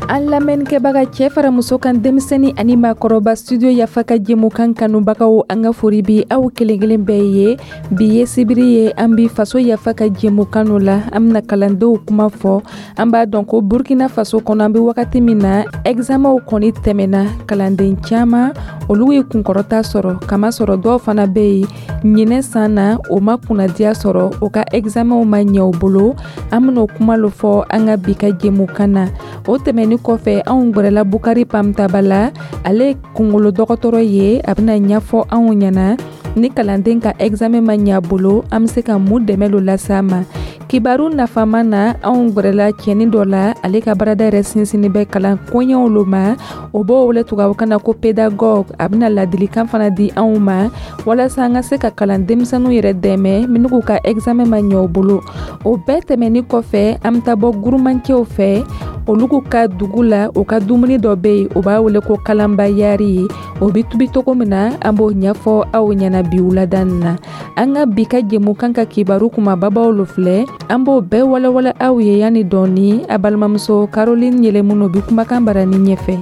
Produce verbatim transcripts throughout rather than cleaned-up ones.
An lamɛnnikɛbaga, cɛ fara muso kan, denmisɛnnin ani maakɔrɔba, Studio Yafa ka jɛmukan kanubagaw, an ka fori bi aw kelen kelen bɛɛ ye. Bi ye sibiri ye, an bi Faso Yafa ka jɛmukan la. An bɛna kalandenw kuma fɔ. An b'a dɔn ko Burkina Faso kɔnɔ, an bɛ wagati min na, examenw kɔni tɛmɛna. Kalanden caman, olu ye kunkɔrɔta sɔrɔ, kamasɔrɔ dɔw fana bɛ yen, ɲinɛ san na, o ma kunnadiya sɔrɔ, o ka examenw ma ɲɛ u bolo. An bɛna o kuma lo fɔ an ka bi ka jɛmukan na. O tɛmɛni kɔfɛ, anw gwɛrɛla Bukari Pamtaba la, ale kungolo dɔgɔtɔrɔ ye. A bɛna ɲɛfɔ anw ɲɛna, ni kalanden ka examen ma ɲɛ a bolo, an bɛ se ka mun dɛmɛ lo lase a ma. Kibaru nafama na, anw gwɛrɛla cɛnin dɔ la, ale ka baarada yɛrɛ sinsinni bɛ kalan koɲɛw lo ma, o b'o wele tubabukan na ko pédagogue. A bɛna ladilikan fana di anw ma walasa an ka se ka kalan denmisɛnninw yɛrɛ dɛmɛ minnu k'u ka examen ma ɲɛ u bolo. O bɛɛ tɛmɛni kɔfɛ, an bɛ taa bɔ gurumancɛw fɛ, olu k'u ka dugu la, u ka dumuni dɔ bɛ yen, u b'a wele ko kalanba yari ye. O bɛ tubi cogo min na, an b'o ɲɛfɔ aw ɲɛna bi wulada nin na. An ka bi ka jɛmukan ka kibaru kumababaw lo filɛ, an b'o bɛɛ walawala aw ye yanni dɔɔni. A balimamuso Caroline Yɛlɛmunu bi kumakan barani ɲɛfɛ.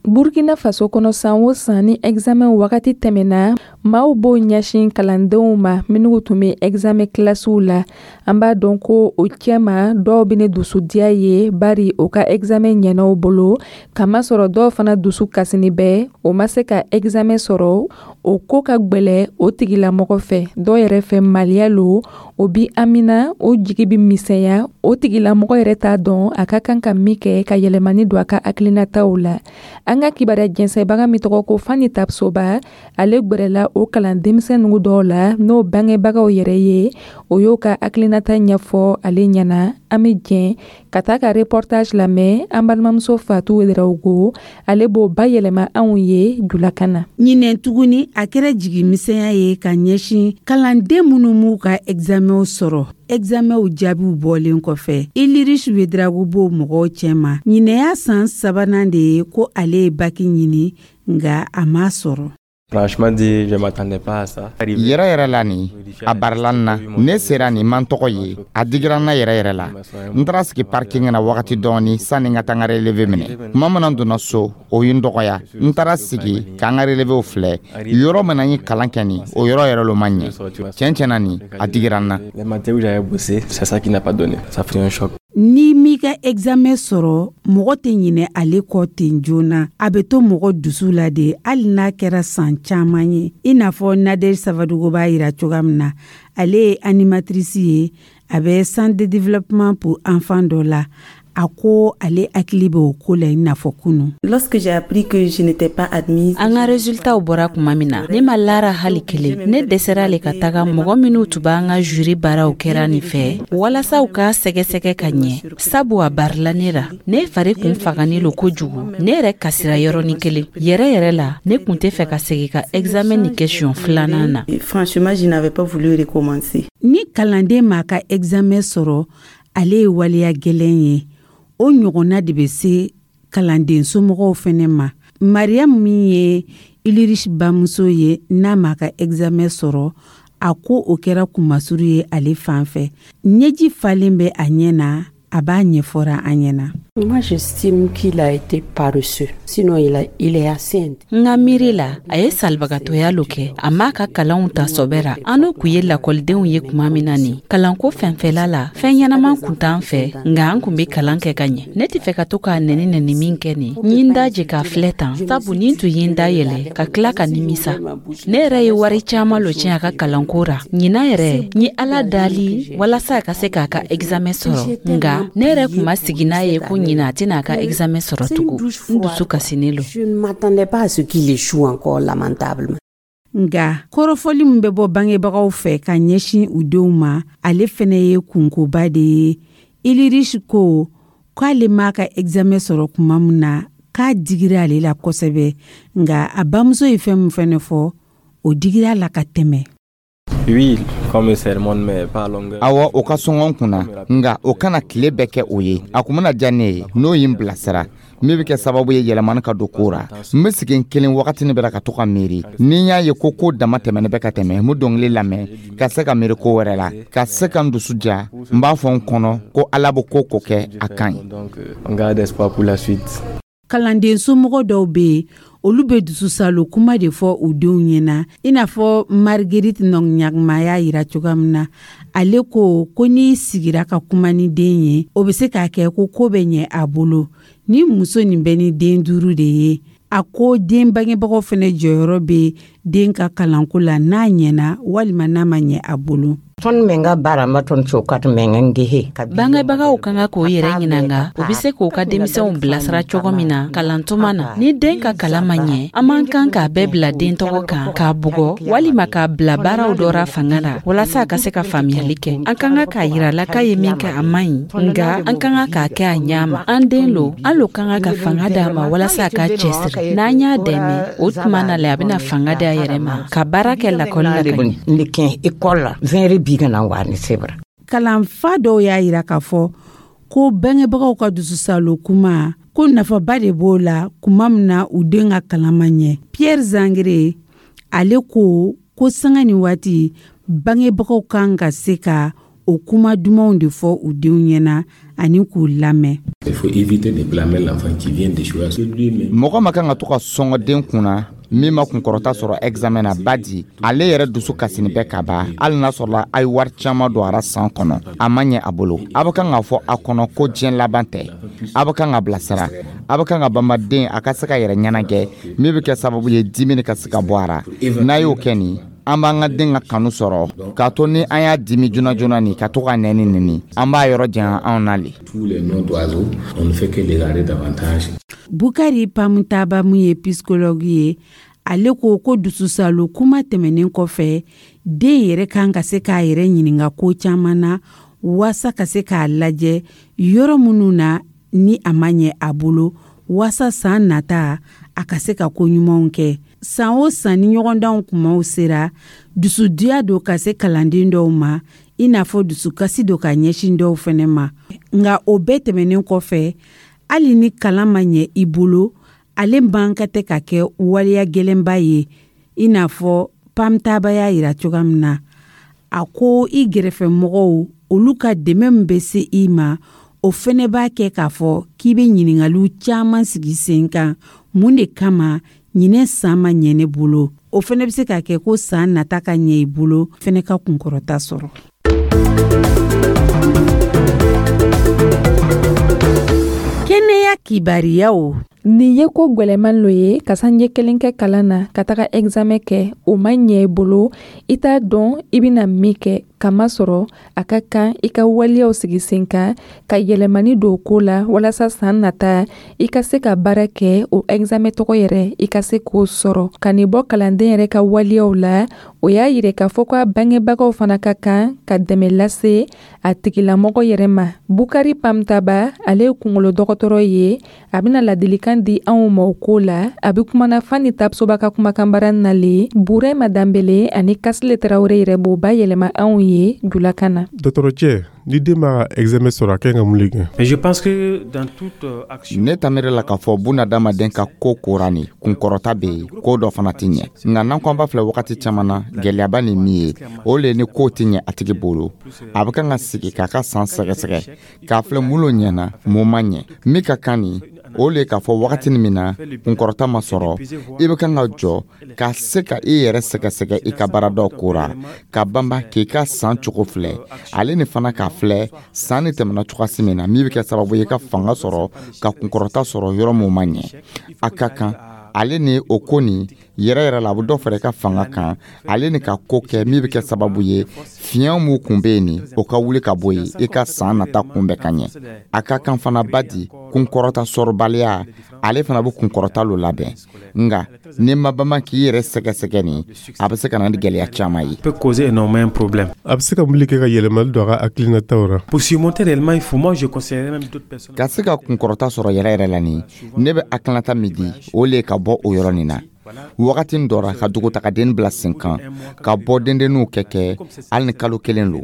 Burkina Faso kɔnɔ, san o san, ni examen wagati tɛmɛna, maaw b'o ɲɛsin kalandenw ma minnu tun bɛ examen kilasiw la. An b'a dɔn ko o cɛma, dɔw bɛ ne dusudiya ye, bari o ka examen ɲɛna u bolo, kamasɔrɔ dɔw fana dusu kasini bɛ, o ma se ka examen sɔrɔ. O ko ka gwɛlɛ o tigilamɔgɔ fɛ. Dɔw yɛrɛ fɛ, maliya lo, o bi amina, o jigi bi misɛnya. O tigilamɔgɔ yɛrɛ t'a dɔn a ka kan ka min kɛ ka yɛlɛmani don a ka hakilinataw la. An ka kibaruya jɛnsɛnbaga min tɔgɔ ko Fani Tapsoba, ale gwɛrɛla o kalan denmisɛn nugu dɔw la, n'o bangebagaw yɛrɛ ye, o y'o ka hakilinata ɲɛfɔ ale ɲɛna. An bɛ jɛn ka taa ka reportage lamɛn. An balimamuso Fatu Wederawogo, ale b'o bayɛlɛma anw ye julakan na. Ɲinɛ tuguni, a kɛra jigimisɛnya ye ka ɲɛsin kalanden minnu m'u ka examenw sɔrɔ. Examenw jaabiw bɔlen kɔfɛ, Ilirish Wedrago b'o mɔgɔw cɛma. Ɲinɛ y'a san sabanan de ye ko ale ye baki ɲini, nka a m'a sɔrɔ. Franchement dit, je m'attendais pas à ça. Yɛrɛ yɛrɛ la nin, a barila n na. Ne sera nin man tɔgɔ ye, a digira n na yɛrɛ yɛrɛ la. N taara sigi parking na wagati dɔɔni sanni n ka taa n ka relevé minɛ. Tuma min na n donna so, o ye n dɔgɔya. N taara sigi k'an ka relevéw filɛ. Yɔrɔ min na n ye kalan kɛ nin, o yɔrɔ yɛrɛ lo ma ɲɛ. Tiɲɛ tiɲɛ na nin, a digira n na. Les matières où j'avais bossé, c'est ça qui n'a pas donné. Ça fait un choc. Ni m'i ka examen sɔrɔ, mɔgɔ tɛ ɲinɛ ale kɔ ten joona. A bɛ to mɔgɔ dusu la de, hali n'a kɛra san caman ye. I n'a fɔ Nadege Savadogo b'a yira cogoya min na, ale ye animatrice ye, a bɛ centre de développement pour enfants dɔ la. A ko ale hakili bɛ o ko la i n'a fɔ kunu. Lorsque j'ai appris que je n'étais pas admise, An ka resultatw bɔra tuma min na, ne ma lara hali kelen. Ne dɛsɛra le ka taga mɔgɔ minw tun b'an ka jury baaraw kɛra nin fɛ walasa u k'a sɛgɛsɛgɛ ka ɲɛ, sabu a barila ne ra. Ne fari kun fagani lo kojugu, ne yɛrɛ kasira yɔrɔnin kelen. Yɛrɛ yɛrɛ la, ne kun tɛ fɛ ka segi ka examen nin kɛ siɲɛ filanan na. Franchement, je n'avais pas voulu recommencer. Ni kalanden m'a ka examen sɔrɔ, ale ye waleya gɛlɛn ye. O ɲɔgɔnna de bɛ se kalanden somɔgɔw fɛnɛ ma. Mariam min ye Ilirish bamuso ye, n'a m'a ka examen sɔrɔ, a ko o kɛra kunmasuru ye ale fan fɛ. Ɲɛji falen bɛ a ɲɛ na, a b'a ɲɛfɔra an ɲɛna. Moi, j'estime qu'il a été paresseux. Sinon, il, a, il est assez N ka miiri la, a ye salibagatɔya lo kɛ. A m'a ka kalanw ta sɔbɛ ra. An n'o kun ye lakɔlidenw ye tuma min na nin, kalanko fɛnfɛla la, fɛn ɲɛnaman kun t'an fɛ, nka an kun be kalan kɛ ka ɲɛ. Ne tɛ fɛ ka to k'a nɛni nɛni min kɛ nin, n ye n da je k'a filɛ tan, sabu ni n tun ye n da yɛlɛ ka tila ka nimisa. Ne yɛrɛ ye wari caaman lo tiɲɛ a ka kalanko ra. Ɲinan yɛrɛ, n ye Ala dali walasa a ka se k'a ka examen sɔrɔ, nga ne yɛrɛ kun ma sigi n'a ye ko ɲina a tɛna a ka examen sɔrɔ tugun. N dusu kasinen lo. Je ne m'attendais pas à ce qu'il échoue encore lamentablement. Nga kɔrɔfɔli min bɛ bɔ bangebagaw fɛ ka ɲɛsin u denw ma, ale fɛnɛ ye kunkoba de ye. Ilirish ko k'ale m'a ka examen sɔrɔ tuma min na, k'a digira ale la kosɛbɛ, nga a bamuso ye fɛn min fɛnɛ fɔ, o digira la ka tɛmɛ. Oui, qu'on me sermonne, mais pas à longueur. Awɔ, o ka sɔngɔn n kunna, nga o kana tile bɛɛ kɛ o ye. A kun bɛna diya ne ye n'o ye n bilasira min bɛ kɛ sababu ye yɛlɛmani ka don ko ra. N bɛ sigi n kelen wagatini bɛɛ la ka to ka miiri. Ni n y'a ye ko ko dama tɛmɛnen bɛ ka tɛmɛ, n bɛ dɔnkili lamɛn ka se ka miiri ko wɛrɛ la, ka se ka n dusu ja. N b'a fɔ n kɔnɔ ko Ala bɛ ko ko kɛ, a ka ɲi. Donc, euh, on garde espoir pour la suite. Kalanden somɔgɔ dɔw bɛ yen, olu bɛ dususalo kuma de fɔ u denw ɲɛna, i n'a fɔ Marguerite Nɔɲagma y'a yira cogoya min na. Ale ko ko n'i sigira ka kuma ni den ye, o bɛ se k'a kɛ ko ko bɛ ɲɛ a bolo. Ni muso nin bɛ ni den duuru de ye, a ko den bangebagaw fɛnɛ jɔyɔrɔ bɛ den ka kalanko la, n'a ɲɛna walima n'a ma ɲɛ a bolo. Tõnd menga baramba tõnd soka tɩ meng n gese. Bangebagaw ka kan k'o yɛrɛ ɲininga, u be se k'u ka denmisɛnw bilasira cogo min na kalantuma na. Ni den ka kalan ma ɲɛ, an man kan k'a bɛɛ bila den tɔgɔ kan, k'a bugɔ walima k'a bila baaraw dɔ ra fanga la walasa a ka se ka faamuyali kɛ. An ka kan k'a yira la k'a ye min kɛ, a man ɲi, nga an ka kan k'a kɛ a ɲa ma. An den lo, an lo ka kan ka fanga d'a ma walasa a k'a cɛsiri. N'an y'a dɛmɛ, o tuma na le a bɛna fanga di a yɛrɛ ma ka baara kɛ lakɔli la ka ɲɛ. N kẽ ekɔl la vẽere biigã na n wa ne sebra. Kalanfa dɔw y'a yira k'a fɔ ko bangebagaw ka dususalo kuma, ko nafaba de b'o la kuma min na u den ka kalan ma ɲɛ. Pierre Zangere, ale ko ko sanga ni waati, bangebagaw kan ka se ka o kuma dumanw de fɔ u denw ɲɛna ani k'u lamɛn. Il faut éviter de blâmer l'enfant qui vient d'échouer. Lui-même. Mɔgɔ ma kan ka to ka sɔngɔ den kunna min ma kunkɔrɔta sɔrɔ examen na, badi ale yɛrɛ dusu kasini bɛ ka ban. Hali n'a sɔrɔla a ye wari caman don a ra san kɔnɔ, a ma ɲɛ a bolo, a bɛ kan k'a fɔ a kɔnɔ ko diɲɛ laban tɛ. A bɛ kan ka bilasira, a bɛ kan ka banbaden a ka se ka yɛrɛ ɲɛnagɛ, min bɛ kɛ sababu ye dimini ka se ka bɔ a ra. N'a y'o kɛ nin, an b'an ka den ka kanu sɔrɔ, k'a to ni an y'a dimi joona joona nin ka to ka nɛni neni, an b'a yɔrɔ janya anw na le. Tous les noms d'oiseaux, on ne fait que l'égarer davantage. Bukari Pamutaba, mun ye psychologue ye, ale ko ko dususalo kuma tɛmɛnen kɔfɛ, den yɛrɛ kan ka se k'a yɛrɛ ɲininga ko caman na waasa ka se k'a lajɛ yɔrɔ minnu na ni a ma ɲɛ a bolo, waasa san nata a ka se ka ko ɲumanw kɛ. San o san, ni ɲɔgɔndanw kumaw sera, dusudiya don ka se kalanden dɔw ma, i n'a fɔ dusukasi don ka ɲɛsin dɔw fɛnɛ ma. Nga o bɛɛ tɛmɛnen kɔfɛ, hali ni kalan ma ɲɛ i bolo, ale man ka tɛ ka kɛ waleya gwɛlɛnba ye, i n'a fɔ Pamtaba y'a yira cogoya min na. A ko i gɛrɛfɛmɔgɔw, olu ka dɛmɛ min bɛ se i ma, o fɛnɛ b'a kɛ k'a fɔ k'i bɛ ɲiningaliw caman sigi sen kan: mun de kama ɲinɛ san ma ɲɛ ne bolo? O fɛnɛ bɛ se ka kɛ ko san nata ka ɲɛ i bolo fɛnɛ, ka kunkɔrɔta sɔrɔ. Kɛnɛya kibariyaw. Nin ye ko gwɛlɛman lo ye ka sanjɛ kelen kɛ kalan na, ka taga examen kɛ, o ma ɲɛ i bolo, i t'a dɔn i bɛna min kɛ, kamasɔrɔ a ka kan i ka waleyaw sigi sen kan ka yɛlɛmani don ko la walasa san nata i ka se ka baara kɛ, o examen tɔgɔ yɛrɛ i ka se k'o sɔrɔ. Ka nin bɔ kalanden yɛrɛ ka waleyaw la, o y'a yira k'a fɔ ko a bangebagaw fana ka kan ka dɛmɛ lase a tigilamɔgɔ yɛrɛ ma. Bukari Pamtaba, ale ye kungolo dɔgɔtɔrɔ ye, a bɛna ladilikan di anw ma o ko la. A bɛ kumana Fani Tapsoba ka kumakanbara nalen. Burema Danbele ani Kasile Tarawele yɛrɛ b'o bayɛlɛma anw ye julakan na. Dɔgɔtɔrɔcɛ, ni den ma examen sɔrɔ, a kan ka mun de kɛ? Mais je pense que dans toute euh, action. Ne ta miiri la k'a fɔ bunadamaden ka ko kora nin kunkɔrɔta bɛ yen, ko dɔ fana tɛ ɲɛ. Nka n'an ko an b'a filɛ, wagati caman na gɛlɛyaba ni min ye, o le ni ko tɛ ɲɛ a tigi bolo, a bɛ kan ka sigi k'a ka san sɛgɛsɛgɛ k'a filɛ mun lo ɲɛna, mun ma ɲɛ. Min ka kan nin, o le k'a fɔ wagati min na kunkɔrɔta ma sɔrɔ, i bɛ kan ka jɔ ka se ka i yɛrɛ sɛgɛsɛgɛ i ka baaradaw kora, ka banba k'i ka san cogo filɛ, ale ni fana k'a filɛ san ni tɛmɛna cogoyasi min na, min bɛ kɛ sababu ye ka fanga sɔrɔ ka kunkɔrɔta sɔrɔ yɔrɔ mun ma ɲɛ. A ka kan ale ni o ko nin yɛrɛ yɛrɛ la, a bɛ dɔ fara i ka fanga kan, ale ni ka ko kɛ min bɛ kɛ sababu ye fiɲɛ mun kun bɛ yen nin, o ka wuli ka bɔ yen, i ka san nata kunbɛn ka ɲɛ. A ka kan fana ba di kunkɔrɔta sɔrɔbaliya, ale fana bɛ kunkɔrɔta lo labɛn. Nka n'i ma bama k'i yɛrɛ sɛgɛsɛgɛ nin, a bɛ se ka na ni gɛlɛya caman ye. Peut causer énormément un problème. A bɛ se ka mun de kɛ ka yɛlɛmali don a ka hakilinataw ra? Pour surmonter réellement, il faut, moi je conseillerais même d'autres personnes. Ka se ka kunkɔrɔta sɔrɔ yɛrɛ yɛrɛ la nin, ne bɛ hakilinata min di, o le ye ka bɔ o yɔrɔ nin na. Wagati dɔ ra ka dugutagaden bila sen kan, ka bɔ dendenninw kɛ kɛ hali ni kalo kelen lo,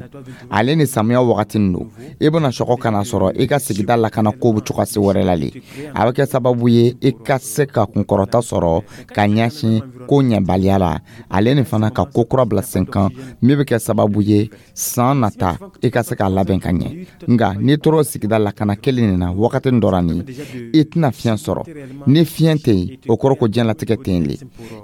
ale ni samiya wagati lo, i bɛna sɔgɔ ka na sɔrɔ i ka sigida lakana ko bɛ cogoya se wɛrɛ la le. A bɛ kɛ sababu ye i ka se ka kunkɔrɔta sɔrɔ ka ɲɛsin ko ɲɛbaliya la, ale ni fana ka ko kura bila sen kan min bɛ kɛ sababu ye san nata i ka se k'a labɛn ka ɲɛ. Nka n'i tora sigida lakana kelen nin na wagati dɔ la nin, i tɛna fiɲɛ sɔrɔ. Ni fiɲɛ tɛ yen, o kɔrɔ ko diɲɛlatigɛ tɛ yen le.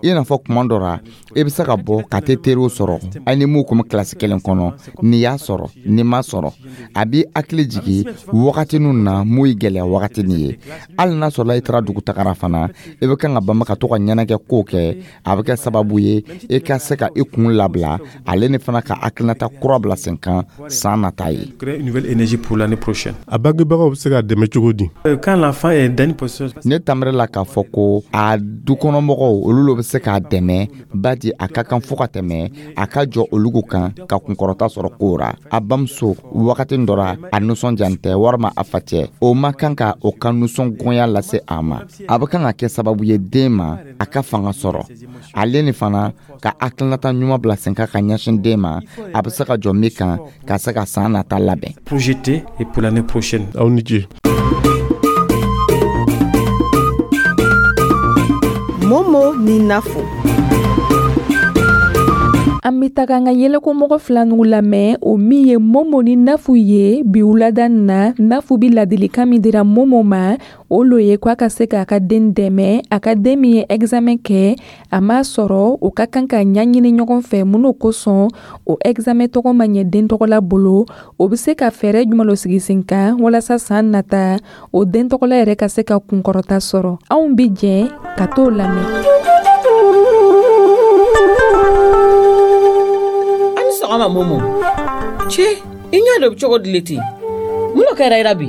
I n'a fɔ kuma dɔ la, i bɛ se ka bɔ ka tɛ teriw sɔrɔ hali ni m'u kun bɛ kilasi kelen kɔnɔ. N'i y'a sɔrɔ, n'i m'a sɔrɔ, a b'i hakili jigin wagatiniw na mun ye gɛlɛya wagatinin ye. Hali n'a sɔrɔla i taara dugutagara fana, i bɛ kan ka banba ka to ka ɲɛnajɛ kow kɛ. A bɛ kɛ sababu ye i ka se ka i kun labila, ale ni fana ka hakilinata kura bila sen kan san nata ye. A bangebagaw bɛ se ka dɛmɛ cogo di? Ne tanbere la k'a fɔ ko a dukɔnɔmɔgɔw, olu lo bɛ se k'a dɛmɛ, badi a ka kan fo ka tɛmɛ a ka jɔ olugu kan ka kunkɔrɔta sɔrɔ kow ra. A bamuso wagati dɔ ra, a nisɔndiyan tɛ, walima a facɛ, o ma kan ka o ka nisɔngoya lase a ma. A bɛ kan ka kɛ sababu ye den ma a ka fanga sɔrɔ, ale ni fana ka hakilinata ɲuman bila sen kan ka ɲɛsin den ma, a bɛ se ka jɔ min kan ka se ka san nata labɛn. Aw ni ce. Momo ni Nafo. An bɛ taga an ka yɛlɛkomɔgɔ fila ninnu lamɛn, o min ye Momo ni Nafu ye. Bi wulada nin na, Nafu bi ladilikan min dira Momo ma, o lo ye k'a ka se k'a ka den dɛmɛ. A ka den min ye examen kɛ, a m'a sɔrɔ, o ka kan ka ɲɛɲini ɲɔgɔn fɛ mun kosɔn o examen tɔgɔ ma ɲɛ den tɔgɔla bolo. O bɛ se ka fɛɛrɛ jumɛn lo sigi sen kan walasa san nata o den tɔgɔla yɛrɛ ka se ka kunkɔrɔta sɔrɔ. Anw bi jɛ ka t'o lamɛn. Sɔgɔma Momo. Cɛ, i ɲɛ dɔ bɛ cogo di le ten? Mun de kɛra i la bi?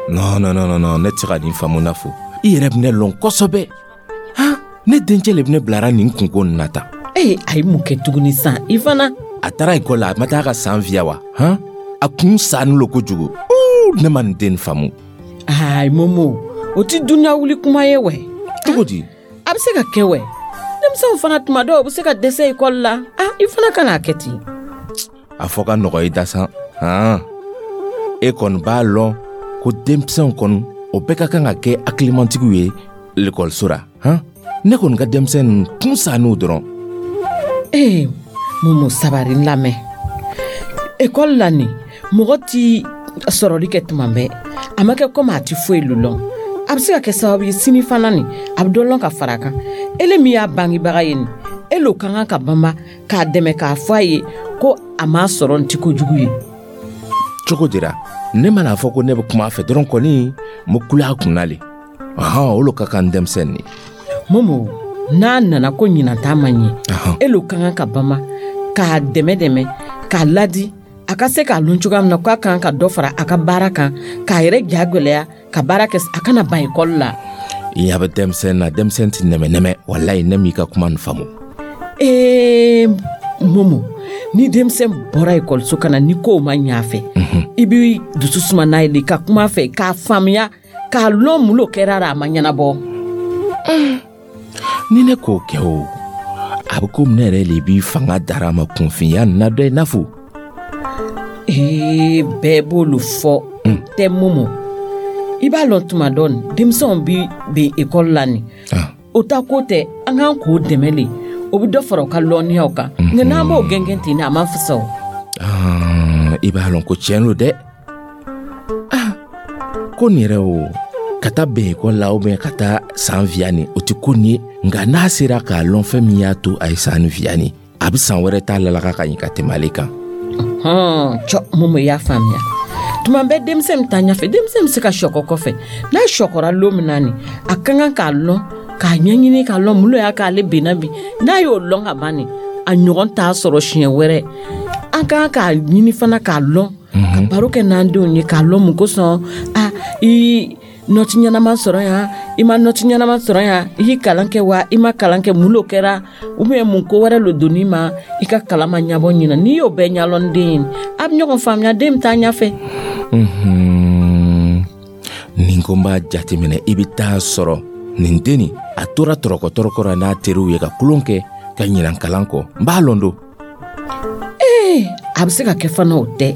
Non, non, non, non, ne tɛ se ka nin faamu Nafo. I yɛrɛ bɛ ne lɔn kosɛbɛ. Han, ne dencɛ le bɛ ne bilara nin kunko nin na tan. Ee, a ye mun kɛ tuguni sisan? I fana? A taara ekɔli la, a ma taa ka san fiya wa? Han, a kun sanni lo kojugu. Uu, ne ma nin den faamu. Ayi Momo, o tɛ dunuya wuli kuma ye wɛ. Cogo di? A bɛ se ka kɛ wɛ. Denmisɛnw fana tuma dɔw u bɛ se ka dɛsɛ ekɔli la. Ah, i fana kana kɛ ten. A fɔ ka nɔgɔ i da san. Han, e kɔni b'a lɔn ko denmisɛnw kɔni, o bɛɛ ka kan ka kɛ hakilimantigiw ye lekɔliso la. Han, ne kɔni ka denmisɛn ninnu kun san'u dɔrɔn. Ee, Momo, sabari n lamɛn. Ekɔli la nin, mɔgɔ ti sɔrɔli kɛ tuma bɛɛ. A ma kɛ komi a ti foyi lɔn. A bɛ se ka kɛ sababu ye sini fana nin, a bɛ dɔ lɔn ka fara a kan. Ele min y'a bangebaga ye nin, e l'o ka kan ka banba k'a dɛmɛ k'a fɔ a ye ko a m'a sɔrɔ nin ti kojugu ye. Cogo dira, ne mana fɔ ko ne bɛ kuma a fɛ dɔrɔn kɔni, n bɛ kule a kunna le. Ɔhɔn, o lo ka kan denmisɛnnin ye. Momo, n'a nana ko ɲinan ta ma ɲɛ, e l'o ka kan ka banba k'a dɛmɛ dɛmɛ k'a ladi, a ka se k'a lɔn cogoya min na k'a kan ka dɔ fara a ka baara kan, k'a yɛrɛ ja gwɛlɛya ka baara kɛ, a kana ban ekɔli la. I ɲɛ bɛ denmisɛn na, denmisɛn tɛ nɛmɛ nɛmɛ. Walayi, ne m'i ka kuma nin faamu. Ee Momo, ni denmisɛn bɔra ekɔliso ka na ni kow ma ɲɛ a fɛ, i b'i dusu suma n'a ye de ka kuma a fɛ k'a faamuya k'a lɔn mun lo kɛra a ma ɲɛnabɔ. Ni ne k'o kɛ o, a bɛ komi ne yɛrɛ le b'i fanga dara a ma kunfinya nin na dɛ Nafu. Ee, bɛɛ b'olu fɔ tɛ Momo. I b'a lɔn tuma dɔ nin, denmisɛnw bi ben ekɔli la nin, o ta ko tɛ, an k'an k'o dɛmɛ le, o bɛ dɔ fara u ka lɔnniyaw kan. Nka n'an b'o gɛngɛn ten, a man fisa o. I b'a lɔn ko tiɲɛ lo dɛ. Ko nin yɛrɛ o, ka taa bɛn ekɔli la ou bien ka taa san fiya nin, o tɛ ko nin ye. Nka n'a sera k'a lɔn fɛn min y'a to a ye san fiya nin, a bɛ san wɛrɛ t'a lalaka ka ɲi ka tɛmɛ ale kan. Hɔn, cɔ Momo, i y'a faamuya. Tuma bɛɛ denmisɛn bɛ taa ɲɛfɛ, denmisɛn bɛ se ka sɔkɔ kɔfɛ. N'a sɔkɔra lon min na nin, a ka kan k'a lɔn, k'a ɲɛɲini k'a lɔn mun lo y'a k'ale benna bi. N'a y'o lɔn ka ban nin, a ɲɔgɔn t'a sɔrɔ siɲɛ wɛrɛ. An ka kan k'a ɲini fana k'a lɔn, ka baro kɛ n'an denw ye k'a lɔn mun kosɔn a i nɔti ɲɛnama sɔrɔ yan, i ma nɔti ɲɛnama sɔrɔ yan, i y'i kalan kɛ wa i ma kalan kɛ, mun lo kɛra, ou bien mun ko wɛrɛ lo donn'i ma i ka kalan ma ɲɛbɔ ɲina. N'i y'o bɛɛ ɲɛlɔn den ye, a bɛ ɲɔgɔn faamuya, den bɛ taa ɲɛfɛ. Ni ko n b'a jateminɛ, i bɛ taa sɔrɔ Nin den nin, a tora tɔrɔkɔ tɔrɔkɔ ra n'a teriw ye ka kulon kɛ ka ɲinan kalan kɔ. N b'a lɔn don. Ee, a bɛ se ka kɛ fana, o tɛ.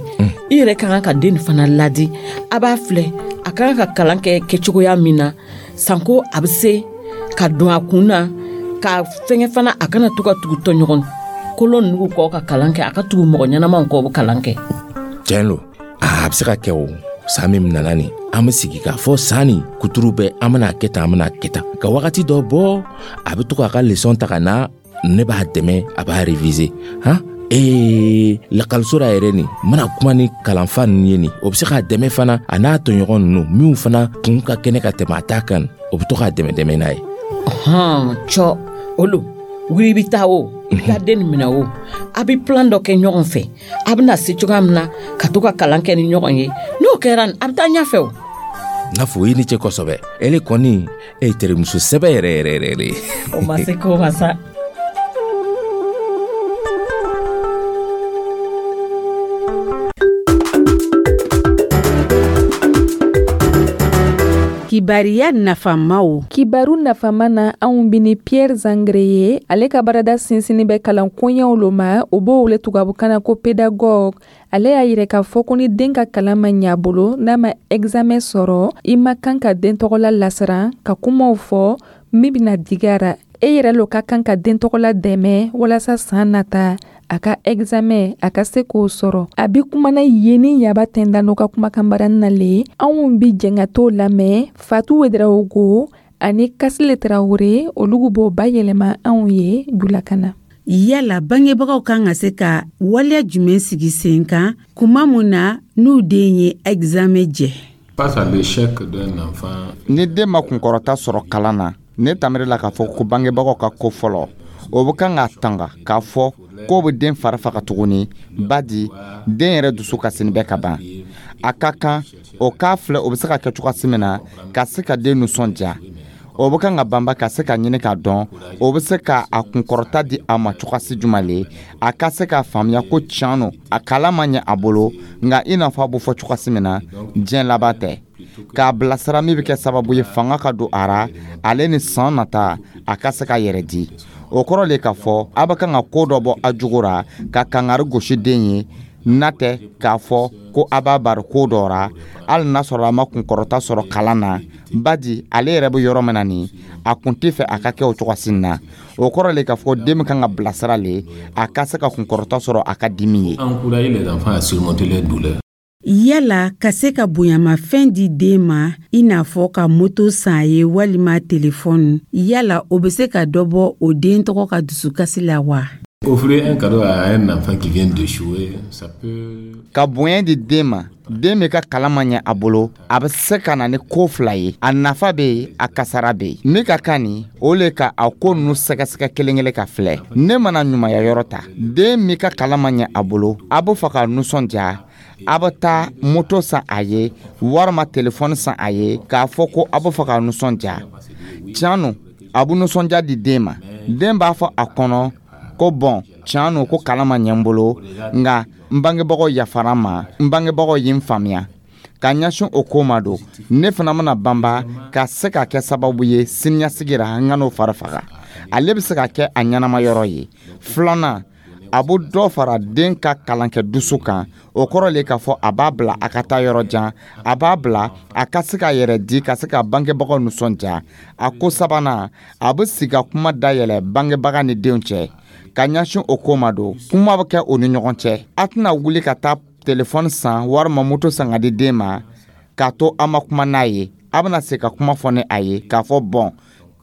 I yɛrɛ ka kan ka den fana ladi. A b'a filɛ, a ka kan ka kalan kɛ kɛcogoya min na, sanko a bɛ se ka don a kun na ka fɛngɛ fana, a kana to ka tugu tɔɲɔgɔn kolon ninnu kɔ ka kalan kɛ, a ka tugu mɔgɔ ɲɛnamaw kɔ, o bɛ kalan kɛ. Tiɲɛ lo, a bɛ se ka kɛ. O san min nana nin, an bɛ sigi k'a fɔ san nin kuturu bɛɛ, an bɛna kɛ tan, an bɛna kɛ tan, ka wagati dɔ bɔ, a bɛ to k'a ka leçon ta ka na, ne b'a dɛmɛ, a b'a réviser. Han, ee, lakɔliso la yɛrɛ nin, n bɛna kuma ni kalanfa ninnu ye nin, o bɛ se k'a dɛmɛ fana, a n'a tɔɲɔgɔn ninnu minnu fana kun ka kɛnɛ ka tɛmɛ a ta kan, o bɛ to k'a dɛmɛ dɛmɛ n'a ye. Hɔn, cɔ, olu wuli, i bɛ taa o, i bɛ taa den nin minɛ o, a bɛ plan dɔ kɛ ɲɔgɔn fɛ, a bɛna se cogoya min na ka to ka kalan kɛ ni ɲɔgɔn ye. N'o kɛra, a bɛ taa ɲɛfɛ o. N'a fɔ i ni ce kosɛbɛ. Ele kɔni, e ye terimuso sɛbɛ yɛrɛ yɛrɛ yɛrɛ ye. O ma se ko ma sa. Kibariya nafamaw. Kibaru nafama na, anw bi ni Pierre Zangre ye. Ale ka baarada sinsinni bɛ kalan koɲɛw lo ma, o b'o wele tubabukan na ko pédagogue. Ale y'a yira k'a fɔ ko ni den ka kalan ma ɲɛ a bolo, n'a ma examen sɔrɔ, i ma kan ka den tɔgɔla lasiran ka kumaw fɔ min bɛna digi a ra. E yɛrɛ lo ka kan ka den tɔgɔla dɛmɛ walasa san nata a ka examen a ka se k'o sɔrɔ. A bi kumana yen ni Yaba Tɛnda ka kumakan barani na le. Anw bi jɛn ka t'o lamɛn. Fatu Wedarawogo ani Kasile Tarawele, olugu b'o bayɛlɛma anw ye julakan na. Yala bangebagaw kan ka se ka waleya jumɛn sigi sen kan kuma mun na n'u den ye examen jɛ? Face à l'échec d'un enfant, Ni den ma kunkɔrɔta sɔrɔ kalan na, ne tamiri la k'a fɔ ko bangebagaw ka ko fɔlɔ, o bɛ kan k'a tanga k'a fɔ k'o bɛ den fari faga tuguni, badi den yɛrɛ dusu kasini bɛ ka ban. A ka kan o k'a filɛ, o bɛ se ka kɛ cogoya min na ka se ka den nisɔndiya. O bɛ kan ka banba ka se ka ɲini k'a dɔn o bɛ se ka a kunkɔrɔta di a ma cogoyasi jumɛn le, a ka se k'a faamuya ko tiɲɛ no, a kalan ma ɲɛ a bolo, nka i n'a fɔ a bɛ fɔ cogoyasi min na, diɲɛ laban tɛ. K'a bilasira min bɛ kɛ sababu ye fanga ka don a ra, ale ni san nata a ka se ka yɛrɛ di. O kɔrɔ le k'a fɔ a bɛ kan ka ko dɔ bɔ a jogo ra ka kangari gosi den ye, n'a tɛ k'a fɔ ko a b'a bari ko dɔ ra, hali n'a sɔrɔ a ma kunkɔrɔta sɔrɔ kalan na, badi ale yɛrɛ bɛ yɔrɔ min na nin, a kun tɛ fɛ a ka kɛ o cogoya na. O kɔrɔ le k'a fɔ den bɛ kan ka bilasira le, a ka se ka kunkɔrɔta sɔrɔ a ka dimi ye. Encourager les enfants à surmonter leurs douleurs. Yala ka se ka bonyamafɛn di den ma, i n'a fɔ ka moto san a ye walima telefɔni, yala o bɛ se ka dɔ bɔ o den tɔgɔ ka dusukasi la wa? Offrir un cadeau à un enfant qui vient d'échouer, ça peut Ka bonya di den ma, den min ka kalan ma ɲɛ a bolo, a bɛ se ka na ni ko fila ye: a nafa bɛ yen, a kasara bɛ yen. Min ka kan nin, o le ka a ko ninnu sɛgɛsɛgɛ kelen kelen ka filɛ. Ne mana ɲumanya yɔrɔ ta, den min ka kalan ma ɲɛ a bolo, a bɛ fɛ ka nisɔndiya, a bɛ taa moto san a ye walima telefɔni san a ye, k'a fɔ ko a bɛ fɛ ka nisɔndiya. Tiɲɛ no, a bɛ nisɔndiya di den ma. Den b'a fɔ a kɔnɔ ko bɔn, tiɲɛ no, ko kalan ma ɲɛ n bolo, nka n bangebagaw yafara n ma, n bangebagaw ye n faamuya ka ɲɛsin o ko ma don. Ne fana bɛna banba ka se ka kɛ sababu ye siniɲɛsigi ra n ka n'o fari faga. Ale bɛ se ka kɛ a ɲɛnama yɔrɔ ye. Filanan, a bɛ dɔ fara den ka kalankɛ dusu kan. O kɔrɔ le k'a fɔ a b'a bila a ka taa yɔrɔ jan, a b'a bila a ka se k'a yɛrɛ di, ka se ka bangebagaw nisɔndiya. A ko sabanan, a bɛ sigi ka kuma dayɛlɛ bangebaga ni denw cɛ ka ɲɛsin o ko ma don. Kuma bɛ kɛ o ni ɲɔgɔn cɛ. A tɛna wuli ka taa telefɔni san walima moto san ka di den ma k'a to a ma kuma n'a ye. A bɛna se ka kuma fɔ ni a ye k'a fɔ bɔn,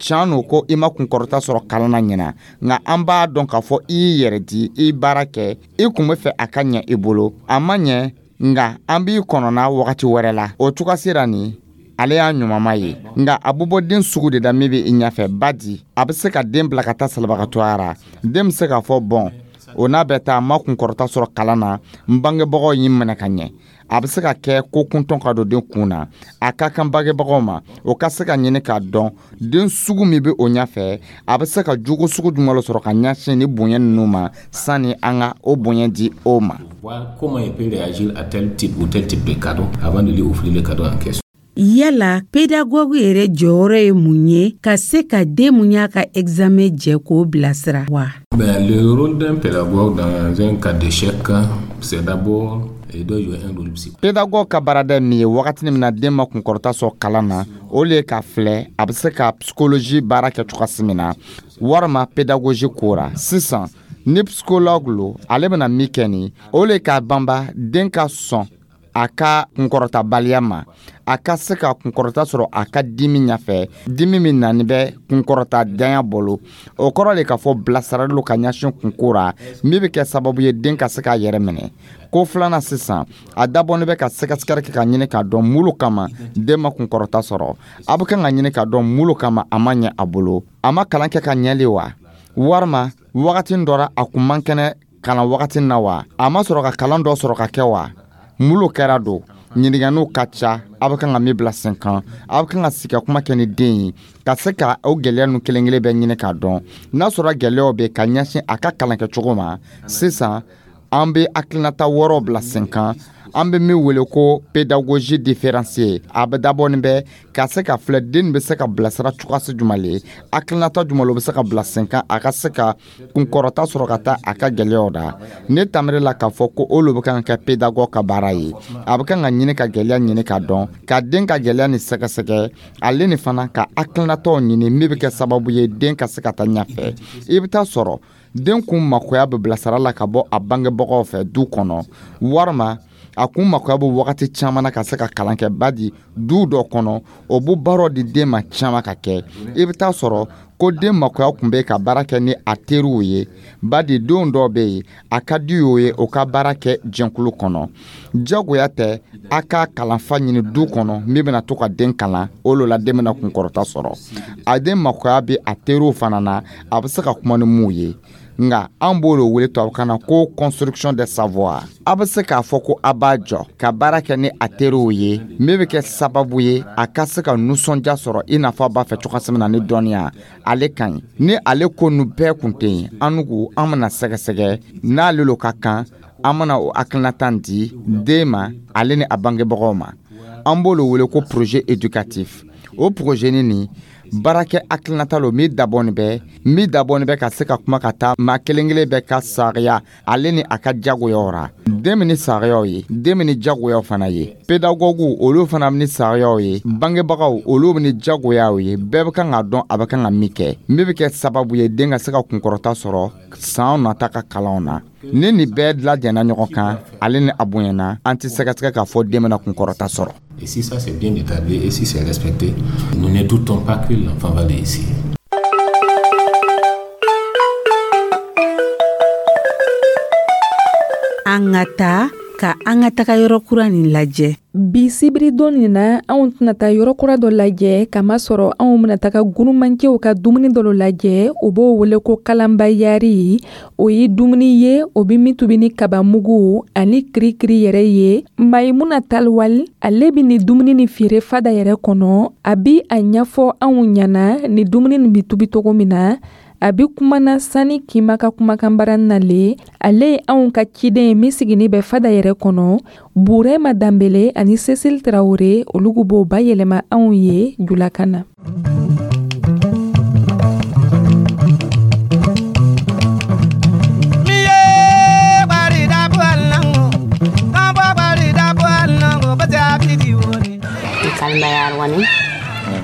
tiɲɛ no, ko i ma kunkɔrɔta sɔrɔ kalan na ɲina, nka an b'a dɔn k'a fɔ i y'i yɛrɛ di, i baara kɛ, i kun bɛ fɛ a ka ɲɛ i bolo, a ma ɲɛ, nka an b'i kɔnɔna wagati wɛrɛ la. O cogoya sera nin, ale y'a ɲumanma ye, nka a bɛ bɔ den sugu de da min bɛ i ɲɛfɛ, badi a bɛ se ka den bila ka taa salibagatɔya ra. Den bɛ se k'a fɔ bɔn, o n'a bɛ taa, ma kunkɔrɔta sɔrɔ kalan na, n bangebagaw y'i minɛ ka ɲɛ. A bɛ se ka kɛ ko kuntɔn ka don den kun na. A ka kan bangebagaw ma, o ka se ka ɲini k'a dɔn den sugu min bɛ o ɲɛfɛ, a bɛ se ka jogo sugu jumɛn sɔrɔ ka ɲɛsin ni bonya ninnu ma, sani an ka o bonya di o ma. Voir comment il peut réagir à tel type ou tel type de cadeau avant de lui offrir le cadeau en question. Yala pédagogue yɛrɛ jɔyɔrɔ ye mun ye ka se ka den mun y'a ka examen jɛ k'o bilasira wa? Ben, le rôle d'un pédagogue dans un cas d'échec, c'est d'abord il doit jouer un rôle psychologique. Pédagogue ka baarada ye min ye wagati min na den ma kunkɔrɔta sɔrɔ kalan na, o le ye k'a filɛ a bɛ se ka psychologie baara kɛ cogoya min na, walima pédagogie ko ra. Sisan ni psychologue lo, ale bɛna min kɛ nin, o le ye k'a banba den ka sɔn a ka kunkɔrɔtabaliya ma, a ka se ka kunkɔrɔta sɔrɔ a ka dimi ɲɛfɛ, dimi min nani bɛ kunkɔrɔta danya bolo. O kɔrɔ le k'a fɔ bilasirali lo ka ɲɛsin kunko ra min bɛ kɛ sababu ye den ka se k'a yɛrɛ minɛ. Ko filanan sisan, a dabɔnin bɛ ka sɛgɛsɛgɛli kɛ ka ɲini k'a dɔn mun lo kama den ma kunkɔrɔta sɔrɔ. A bɛ kan ka ɲini k'a dɔn mun lo kama a ma ɲɛ a bolo. A ma kalan kɛ ka ɲɛli wa, walima wagati dɔ ra a kun man kɛnɛ kalan wagati na wa, a ma sɔrɔ ka kalan dɔ sɔrɔ ka kɛ wa, mun lo kɛra don. Ɲininkaliw ka ca a bɛ kan ka min bila sen kan. A bɛ kan ka sigi ka kuma kɛ ni den ye ka se ka o gɛlɛya ninnu kelen kelen bɛɛ ɲini k'a dɔn. N'a sɔrɔ gɛlɛyaw bɛ ka ɲɛsin a ka kalankɛcogo ma, sisan an bɛ hakilinata wɔɔrɔ bila sen kan, an bɛ min wele ko pédagogie différenciée. A bɛ dabɔ nin bɛ ka se ka filɛ den bɛ se ka bilasira cogoya jumɛn le, hakilinata jumɛn le bɛ se ka bila sen kan a ka se ka kunkɔrɔta sɔrɔ ka taa a ka gɛlɛyaw da. Ne tamiri la k'a fɔ ko o le bɛ kan ka kɛ pédagogue ka baara ye. A bɛ kan ka ɲini ka gɛlɛya ɲini ka dɔn, ka den ka gɛlɛya ni sɛgɛsɛgɛ, ale ni fana ka hakilinataw ɲini min bɛ kɛ sababu ye den ka se ka taa ɲɛfɛ. I bɛ taa sɔrɔ den kun makoya bɛ bilasira la ka bɔ a bangebagaw fɛ du kɔnɔ, walima a kun makoya bɛ wagati caman na ka se ka kalan kɛ. Badi du dɔ kɔnɔ, o b'o baaraw di den ma caman ka kɛ. I bɛ taa sɔrɔ ko den makoya kun bɛ ka baara kɛ ni a teriw ye. Badi denw dɔw bɛ yen, a ka di o ye o ka baara kɛ jɛnkulu kɔnɔ. Jagoya tɛ a ka kalanfa ɲini du kɔnɔ min bɛna to ka den kalan, o lo la den bɛna kunkɔrɔta sɔrɔ. A den makoya bɛ a teriw fana na, a bɛ se ka kuma ni mun ye. Nka an b'o le wele tubabukan na ko construction des savoirs. A bɛ se k'a fɔ ko a b'a jɔ ka baara kɛ ni a teriw ye min bɛ kɛ sababu ye a ka se ka nisɔndiya sɔrɔ i n'a fɔ a b'a fɛ cogoya min na ni dɔnniya ale ka ɲi. Ni ale ko ninnu bɛɛ kun tɛ yen, an nugu an bɛna sɛgɛsɛgɛ n'ale lo ka kan, an bɛna o hakilinata di den ma, ale ni a bangebagaw ma. An b'o le wele ko projet éducatif. O projet nin baarakɛ hakilinata lo min dabɔnin bɛ min dabɔnin bɛ ka se ka kuma ka taa maa kelen kelen bɛɛ ka sariya ale ni a ka jagoyaw ra. Den min ni sariyaw ye, den min ni jagoyaw fana ye, pédagogue olu fana ni sariyaw ye, bangebagaw olu ni jagoyaw ye. Bɛɛ bɛ kan k'a dɔn a bɛ kan ka min kɛ min bɛ kɛ sababu ye den ka se ka kunkɔrɔta sɔrɔ san nata ka kalanw na. Ni nin bɛɛ lajɛnna ɲɔgɔn kan, ale ni a bonyana, an tɛ sɛgɛsɛgɛ k'a fɔ den bɛna kunkɔrɔta sɔrɔ. Et si ça c'est bien établi et si c'est respecté, nous ne doutons pas que l'enfant va réussir. An ka taa ka an ka taga yɔrɔ kura nin lajɛ. Bi sibiridon nin na, anw tɛna taa yɔrɔ kura dɔ lajɛ, kamasɔrɔ anw bɛna taga gurumancɛw ka dumuni dɔ lajɛ. O b'o wele ko kalanbayari. O ye dumuni ye o bɛ min tobi ni kabamugu ani kirikiri yɛrɛ ye. Mayimuna Taliwali, ale bɛ nin dumuni nin feere fada yɛrɛ kɔnɔ. A bi a ɲɛfɔ anw ɲɛna ni dumuni nin bɛ tobi cogo min na. A bi kumana sani kima ka kumakanbara nalen. Ale ye anw ka ciden ye min sigini bɛ fada yɛrɛ kɔnɔ. Burema Danbele ani Cecile Traoré, olu b'o bayɛlɛma anw ye julakan na.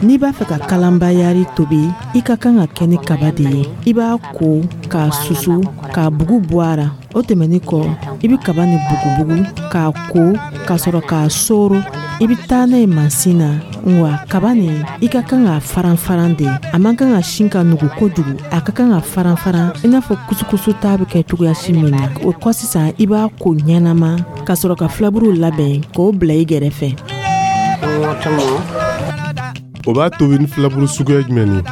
N'i b'a fɛ ka kalanbayari tobi, i ka kan ka kɛ ni kaba de ye. I b'a ko k'a susu k'a bugu bɔ a ra. O tɛmɛnen kɔ, i bɛ kaba ni bugubugu k'a ko ka sɔrɔ k'a soro. I bɛ taa n'a ye mansin na. Wa kaba nin, i ka kan k'a faran-faran de. A man kan ka sin ka nugu kojugu, a ka kan ka faran-faran i n'a fɔ kusukusu ta bɛ kɛ cogoya si min na. O kɔ sisan, i b'a ko ɲɛnama ka sɔrɔ ka filaburuw labɛn k'o bila i gɛrɛfɛ. O b'a tobi ni filaburu suguya jumɛn ye?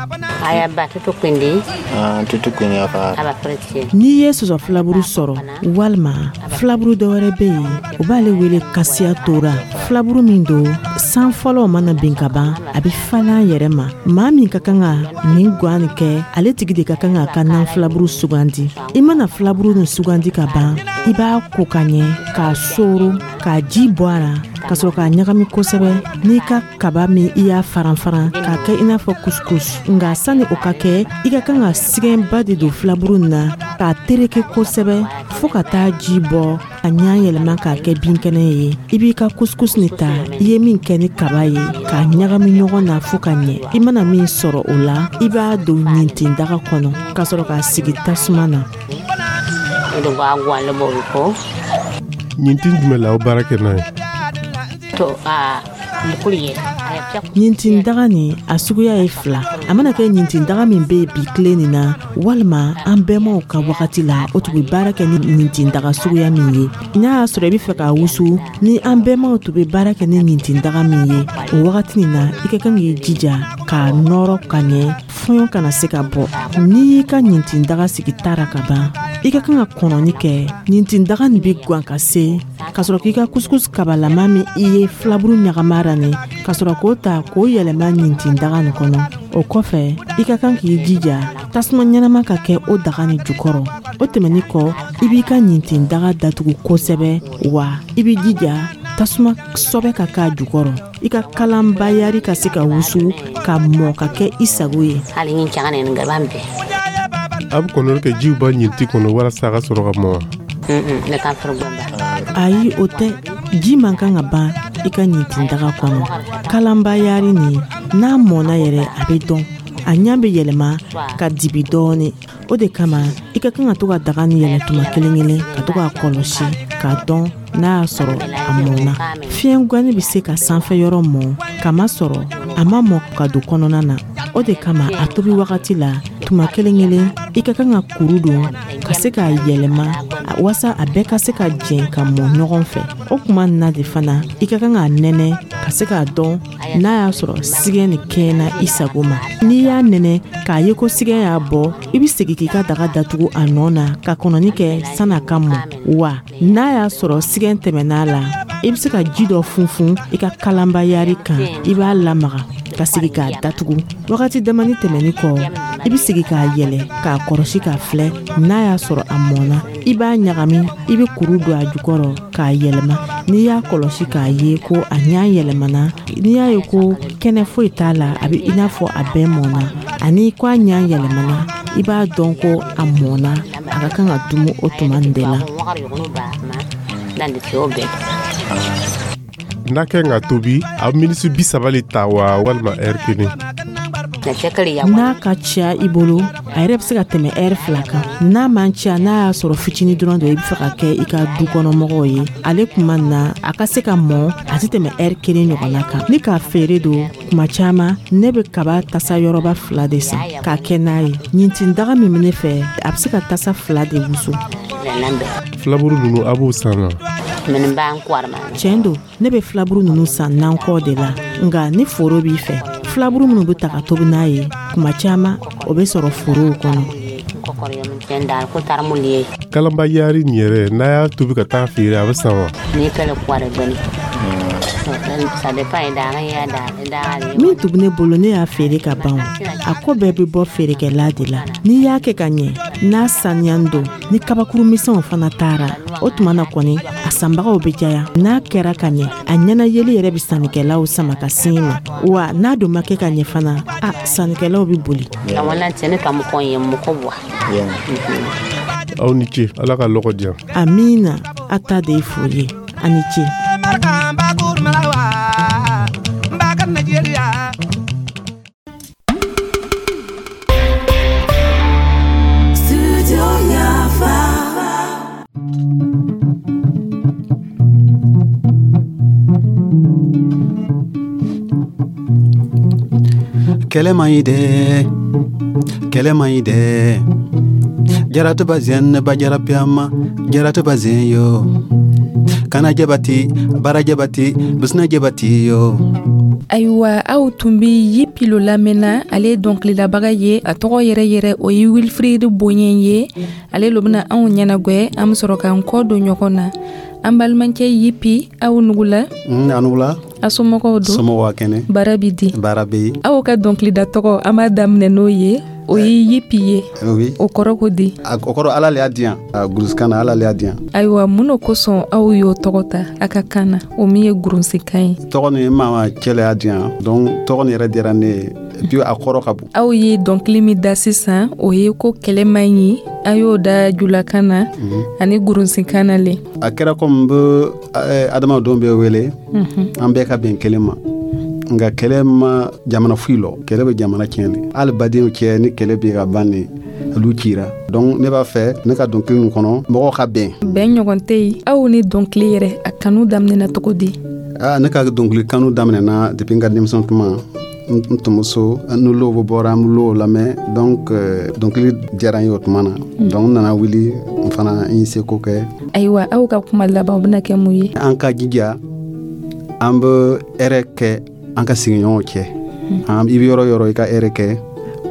N'i ye sɔsɔ filaburu sɔrɔ walima filaburu dɔ wɛrɛ bɛ yen, o b'ale wele kasiya tora. Filaburu min don, san fɔlɔw mana bin ka ban, a bɛ falen a yɛrɛ ma. Maa min ka kan ka nin gwan nin kɛ, ale tigi de ka kan k'a ka nan filaburu sugandi. I mana filaburu nin sugandi ka ban, i b'a ko ka ɲɛ, k'a soro, k'a ji bɔ a la, ka sɔrɔ k'a ɲagami kosɛbɛ n'i ka kaba min i y'a faran-faran k'a kɛ i n'a fɔ couscous. Nka sani o ka kɛ, i ka kan ka sigɛnba de don filaburu nin na k'a tereke kosɛbɛ fɔɔ ka taa ji bɔ, a ɲa yɛlɛma k'a kɛ binkɛnɛ ye. I b'i ka couscous nin ta, i ye min kɛ ni kaba ye, k'a ɲagami ɲɔgɔn na fɔɔ ka ɲɛ. I mana min sɔrɔ o la, i b'a don ɲintindaga kɔnɔ ka sɔrɔ k'a sigi tasuma na. Ɲintin jumɛn la aw baara kɛ n'a ye? Ɲintindaga nin a suguya ye fila. A mana kɛ ɲintindaga min bɛ yen bi tile nin na, walima an bɛnbaw ka wagati la, o tun bɛ baara kɛ ni ɲintindaga suguya min ye. N'a y'a sɔrɔ i bɛ fɛ k'a wusu, ni an bɛnbaw tun bɛ baara kɛ ni ɲintindaga min ye o wagati nin na, i ka kan k'i jija k'a nɔrɔ ka ɲɛ, fɔɲɔ kana se ka bɔ. N'i y'i ka ɲintindaga sigi ta ra ka ban, i ka kan ka kɔnɔni kɛ. Ɲintindaga nin bɛ gan ka se ka sɔrɔ k'i ka couscous kabalama min i ye filaburu ɲagama ra nin, ka sɔrɔ k'o ta k'o yɛlɛma ɲintindaga nin kɔnɔ. O kɔfɛ, i ka kan k'i jija tasuma ɲɛnama ka kɛ o daga nin jukɔrɔ. O tɛmɛnin kɔ, i b'i ka ɲintindaga datugu kosɛbɛ, wa i b'i jija tasuma sɔbɛ ka k'a jukɔrɔ, i ka kalanbayari ka se ka wusu ka mɔ ka kɛ i sago ye. A bɛ kɔnɔni kɛ jiw ba ɲinti kɔnɔ walasa a ka sɔrɔ ka mɔ wa? Ayi, o tɛ. Ji man kan ka ban i ka ɲintindaga kɔnɔ. Kalanbayari nin, n'a mɔna yɛrɛ, a bɛ dɔn, a ɲɛ bɛ yɛlɛma ka dibi dɔɔnin. O de kama i ka kan ka to ka daga nin yɛlɛ tuma kelen kelen, ka to k'a kɔlɔsi k'a dɔn n'a y'a sɔrɔ a mɔna. Fiɲɛ gani bɛ se ka sanfɛ yɔrɔ mɔ, kamasɔrɔ a ma mɔ ka don kɔnɔna na. O de kama a tobi wagati la, tuma kelen kelen, i ka kan ka kuru don ka se k'a yɛlɛma walasa a bɛɛ ka se ka jɛn ka mɔ ɲɔgɔn fɛ. O tuma na de fana, i ka kan k'a nɛnɛ ka se k'a dɔn n'a y'a sɔrɔ sigɛn nin kɛɲɛna i sago ma. N'i y'a nɛnɛ k'a ye ko sigɛn y'a bɔ, i bɛ segin k'i ka daga datugu a nɔ na ka kɔnɔni kɛ san'a ka mɔ. Wa n'a y'a sɔrɔ sigɛn tɛmɛna a la, i bɛ se ka ji dɔ funfun i ka kalanbayari kan, i b'a lamaga ka sigi k'a datugu. Wagati damani tɛmɛni kɔ, i bɛ sigi k'a yɛlɛ k'a kɔrɔsi k'a filɛ n'a y'a sɔrɔ a mɔna. I b'a ɲagami, i bɛ kuru don a jukɔrɔ k'a yɛlɛma. N'i y'a kɔlɔsi k'a ye ko a ɲa yɛlɛmana, n'i y'a ye ko kɛnɛ foyi t'a la, a bɛ i n'a fɔ a bɛɛ mɔna, ani ko a ɲa yɛlɛmana, i b'a dɔn ko a mɔna, a ka kan ka dumu o tuma nin de la. N'a kɛ ka tobi, a bɛ minisi bi saba le ta wa, walima ɛri kelen? N'a ka ca i bolo, a yɛrɛ bɛ se ka tɛmɛ ɛri fila kan. N'a man ca, n'a y'a sɔrɔ fitinin dɔrɔn don i bɛ fɛ ka kɛ i ka du kɔnɔmɔgɔw ye, ale tuma na a ka se ka mɔ, a tɛ tɛmɛ ɛri kelen ɲɔgɔnna kan. Ni k'a feere don, tuma caman ne bɛ kaba tasa yɔrɔba fila de san k'a kɛ n'a ye. Ɲintindaga min bɛ ne fɛ, a bɛ se ka tasa fila de wusu. Filaburu ninnu, a b'o san wa? Tiɲɛ don, ne bɛ filaburu ninnu san nankɔ de la. Nka ni foro b'i fɛ, filaburu minnu bɛ ta ka tobi n'a ye, tuma caman o bɛ sɔrɔ forow kɔnɔ. Kalanbayari nin yɛrɛ, n'a y'a tobi ka taa feere, a bɛ san wa? Min tun bɛ ne bolo, ne y'a feere ka ban. A ko bɛɛ bɛ bɔ feerekɛla de la. N'i y'a kɛ ka ɲɛ, n'a saniya don, ni kabakuru misɛnw fana taara, o tuma na kɔni a sanbagaw bɛ caya. N'a kɛra ka ɲɛ, a ɲɛnayeli yɛrɛ bɛ sannikɛlaw sama ka sin ma. Wa n'a dun ma kɛ ka ɲɛ fana, a sannikɛlaw bɛ boli. Aw ni ce, Ala ka lɔgɔ diyan. Amiina, a ta de ye foli ye. A ni ce. Kɛlɛ man ɲi dɛ, kɛlɛ man ɲi dɛ. Jaratu ba zen ba jarapiyama, jaratu ba zen yo. Kana jabati, bara jabati, bisina jabati yo. Ayiwa, aw tun bɛ Yipilo lamɛnna. Ale ye dɔnkililabaga ye, a tɔgɔ yɛrɛ yɛrɛ o ye Wilfried Bonye ye. Ale lo bɛna anw ɲɛnagwɛ. An bɛ sɔrɔ k'an kɔ don ɲɔgɔn na. An balimakɛ Yipi, aw nugula. A nugula. A somɔgɔw don? Somɔgɔw ka kɛnɛ. Baara bi di? Baara bɛ yen. Aw ka dɔnkilida tɔgɔ, an b'a daminɛ n'o ye, o ye Yipi ye. Oui. O kɔrɔ ko di? A kɔrɔ Ala le y'a di yan, gurusikan na, Ala le y'a di yan. Ayiwa, mun de kosɔn aw y'o tɔgɔ ta a ka kan na, o min ye gurunsikan ye? Tɔgɔ nin mama cɛ le y'a di yan, donc tɔgɔ nin yɛrɛ diyara ne ye, et puis a kɔrɔ ka bon. Aw ye dɔnkili min da sisan, o ye ko kɛlɛ man ɲi, a y'o da julakan na ani gurunsikan na le. A kɛra komi n bɛ adamadenw bɛ wele, an bɛɛ ka bɛn kelen ma. Nka kɛlɛ ma jamana foyi lɔ, kɛlɛ bɛ jamana tiɲɛ de. Hali badenw cɛ, ni kɛlɛ bɛ ka ban de, olu cira. Donc ne b'a fɛ ne ka dɔnkili nin kɔnɔ, mɔgɔw ka bɛn. Bɛn ɲɔgɔn tɛ yen. Aw ni dɔnkili yɛrɛ, a kanu daminɛna cogo di? Aa, ne ka dɔnkili kanu daminɛna depuis n ka denmisɛn tuma. N tun bɛ so, ni low bɔra, an bɛ low lamɛn. Donc dɔnkili diyara n ye o tuma na. Donc n nana wuli, n fana n ye seko kɛ. Ayiwa, aw ka kuma laban o bɛna kɛ mun ye? An ka jija, an bɛ hɛrɛ kɛ an ka sigiɲɔgɔnw cɛ. I bɛ yɔrɔ yɔrɔ, i ka hɛrɛ kɛ,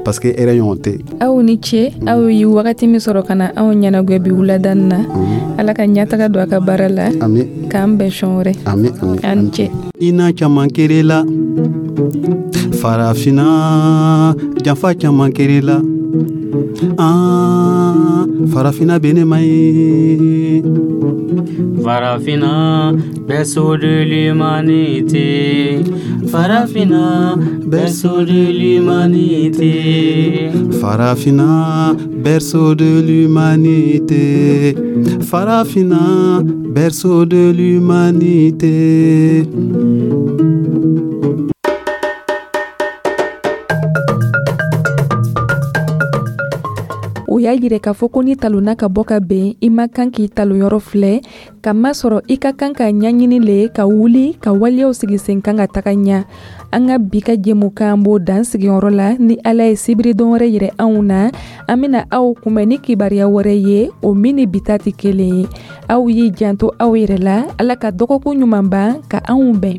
parce que hɛrɛ ɲɔgɔn tɛ. Aw ni ce, aw ye wagati min sɔrɔ ka na anw ɲɛnagwɛ bi wulada in na. Ala ka ɲɛtaga don a ka baara la. Ami. K'an bɛn sɔn wɛrɛ. Ami, ami. An ni ce. Ina caman kere la Farafina, janfa caman kere la. Ah, Farafina bɛ ne ma ye. Farafina, berceau de l'humanité. Farafina, berceau de l'humanité. Farafina, berceau de l'humanité. Farafina, berceau de l'humanité. O y'a yira k'a fɔ ko ni talonna ka bɔ ka ben, i ma kan k'i talonyɔrɔ filɛ, ka masɔrɔ i ka kan ka ɲaɲini le, ka wuli ka waleyaw sigi sen kan ka taga ɲa. An ka bi ka jɛmukan b'o dan sigiyɔrɔ la. Ni Ala ye sibiri don wɛrɛ yɛrɛ anw na, an bena aw kunbɛn ni kibaruya wɛrɛ ye, o min ni bi ta tɛ kelen ye. Aw y'i janto aw yɛrɛ la. Ala ka dɔgɔkun ɲuman ban ka anw bɛn.